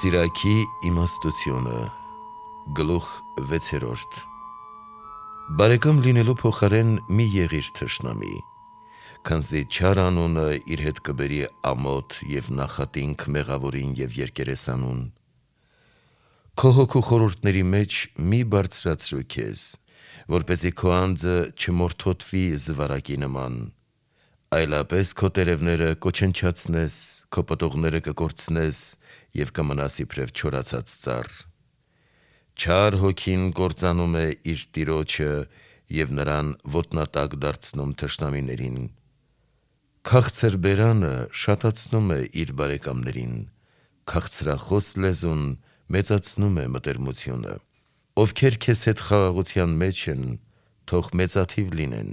Սիրակի իմաստությունը գլուխ 6 Բարեկամ լինելու փոխարեն մի եղիր թշնամի, քանզի չար անունը իր հետ կբերի ամոթ և նախատինք մեղավորին և երկերեսանուն։ Քո հոգու խորհուրդների մեջ մի բարձրացրու քեզ, որպեսզի քո անձը չմորթոթվի զվարակի նման, այլապես քո տերևները կոչնչացնես, քո պտուղները կկորցնես և կմնաս իբրև չորացած ծառ։ Չար հոգին կործանում է իր տիրոջը և նրան ոտնատակ դարձնում թշնամիներին։ Քաղցր բերանը շատացնում է իր բարեկամներին, քաղցրախոս լեզուն մեծացնում է մտերմությունը։ Ովքեր քեզ հետ խաղաղության մեջ են, թող մեծաթիվ լինեն,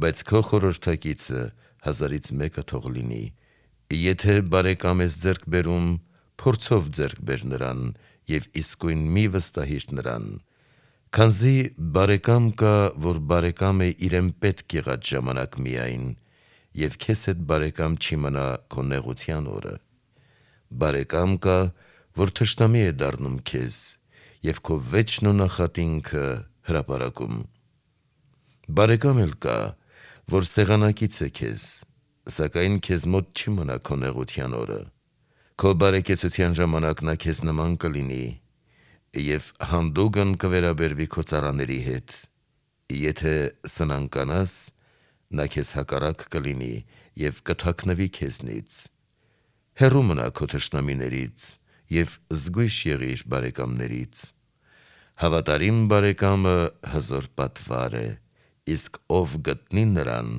բայց քո խորհրդակիցը 1000-ից մեկը թող լինի։ Եթե բարեկամ ես ձեռք բերում, փորձով ձեռք բեր նրան և իսկույն մի վստահիր նրան, քանզի բարեկամ կա, որ բարեկամ է իրեն պետք եղած ժամանակ միայն, և քեզ հետ բարեկամ չի մնա քո նեղության օրը։ Բարեկամ կա, որ թշնամի է դառնում քեզ և քո վեճն ու նախատինքը հրապարակում։ Բարեկամ էլ կա, որ սեղանակից է քեզ, սակայն քեզ մոտ չի մնա քո նեղության օրը։ Քո բարեկեցության ժամանակ նա քեզ նման կլինի և հանդուգն կվերաբերվի քո ծառաների հետ։ Եթե սնանկանաս, նա քեզ հակառակ կլինի և կթաքնվի քեզնից։ Հեռու մնա քո թշնամիներից և զգույշ եղիր բարեկամներից։ Հավատարիմ բարեկամը հզոր պատվար է, իսկ ով գտնի նրան,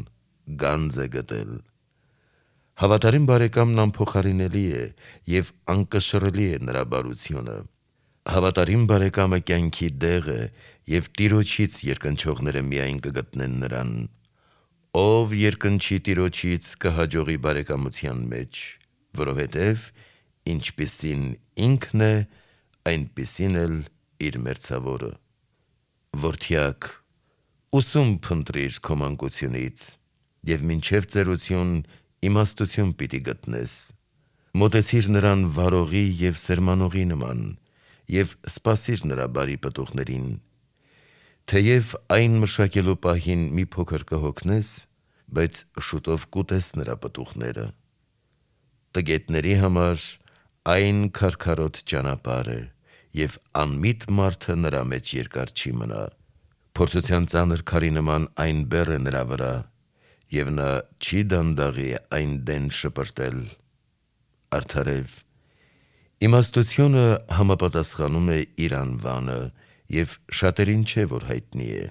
գանձ է գտել։ Հավատարիմ բարեկամն անփոխարինելի է և անկշռելի է նրա բարությունը։ Հավատարիմ բարեկամը կյանքի դեղ է և Տիրոջից երկնչողները միայն կգտնեն նրան։ Ով երկնչի Տիրոջից կհաջողի բարեկամության մեջ, որովհետև ինչպիսին ինքն է, այնպիսին էլ իր մերձավորը։ Որդյակ, ուսում փնտրիր քո մանկությունից և մինչև ծերություն իմաստություն պիտի գտնես։ Մոտեցիր նրան վարողի և սերմանողի նման և սպասիր նրա բարի պտուղներին։ Թեև այն մշակելու պահին մի փոքր կհոգնես, բայց շուտով կուտես նրա պտուղները։ Տգետների համար այն քարքարոտ ճանապարհ է, և անմիտ մարդը նրա մեջ երկար չի մնա։ Փորձության ծանր քարի նման այն բեռ է նրա վրա, և նա չի դանդաղի այն դեն շպրտել։ Արդարև, իմաստությունը համապատասխանում է իր անվանը և շատերին չէ, որ հայտնի է։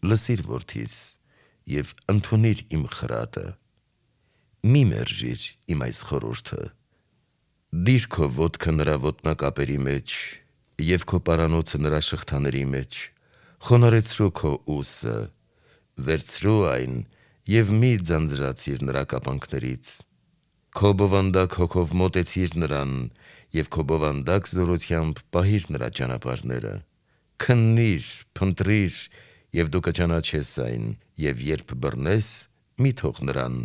Լսիր, որդիս, և ընդունիր իմ խրատը։ Մի մերժիր իմ այս խորհուրդը։ Դիր քո ոտքը նրա ոտնակապերի մեջ և քո պարանոցը նրա շղթաների մեջ, խոնարհեցրու քո ուսը, վերցրու այն և մի ձանձրացիր նրա կապանքներից։ Քո բովանդակ հոգով մոտեցիր նրան և քո բովանդակ զորությամբ պահիր նրա ճանապարհները։ Քննիր, փնտրիր և դու կճանաչես այն, և երբ բռնես, մի թող նրան,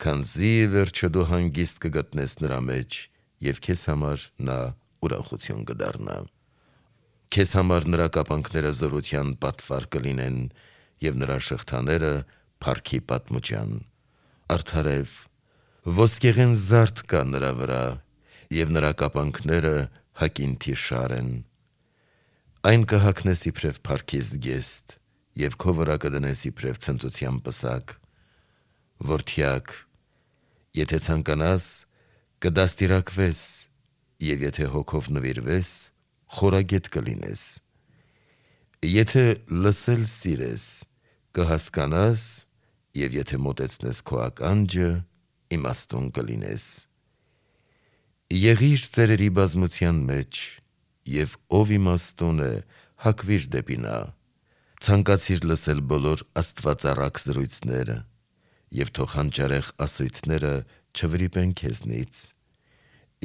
քանզի ի վերջո դու հանգիստ կգտնես նրա մեջ և քեզ համար նա ուրախություն կդառնա։ Քեզ համար նրա կապանքները զորության պատվար կլինեն և նրա շղթաները փառքի պատմուջան։ Արդարև, ոսկեղեն զարդ կա նրա վրա, և նրա կապանքները հակինթի շար են։ Այն կհագնես իբրև փառքի զգեստ և քո վրա կդնես իբրև ցնծության պսակ։ Որդյակ, եթե ցանկանաս, կդաստիարակվես, և եթե հոգով նվիրվես, խորագետ կլինես։ Եթե լսել սիրես, կհասկանաս, և եթե մոտեցնես քո ականջը, իմաստուն կլինես։ Եղիր ծերերի բազմության մեջ, և ով իմաստուն է, հակվիր դեպի նա։ Ցանկացիր լսել բոլոր աստվածառակ զրույցները, և թող հանճարեղ ասույթները չվրիպեն քեզնից։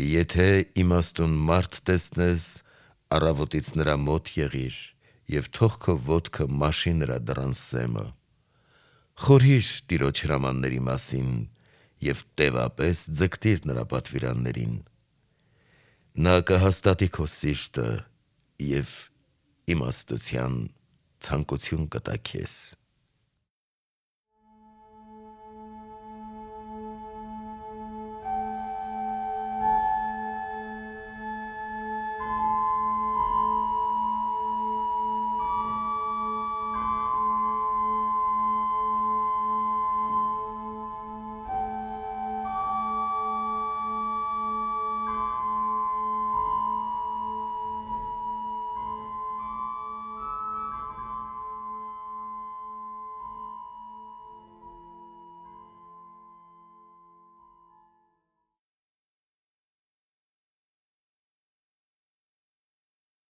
Եթե իմաստուն մարդ տեսնես, առավոտից նրա մոտ եղիր և թող քո ոտքը մաշի նրա դռան սեմը։ Խորհիր Տիրոջ հրամանների մասին և տևապես ձգտիր նրա պատվիրաններին։ Նա կհաստատի քո սիրտը և իմաստության ցանկություն կտա քեզ։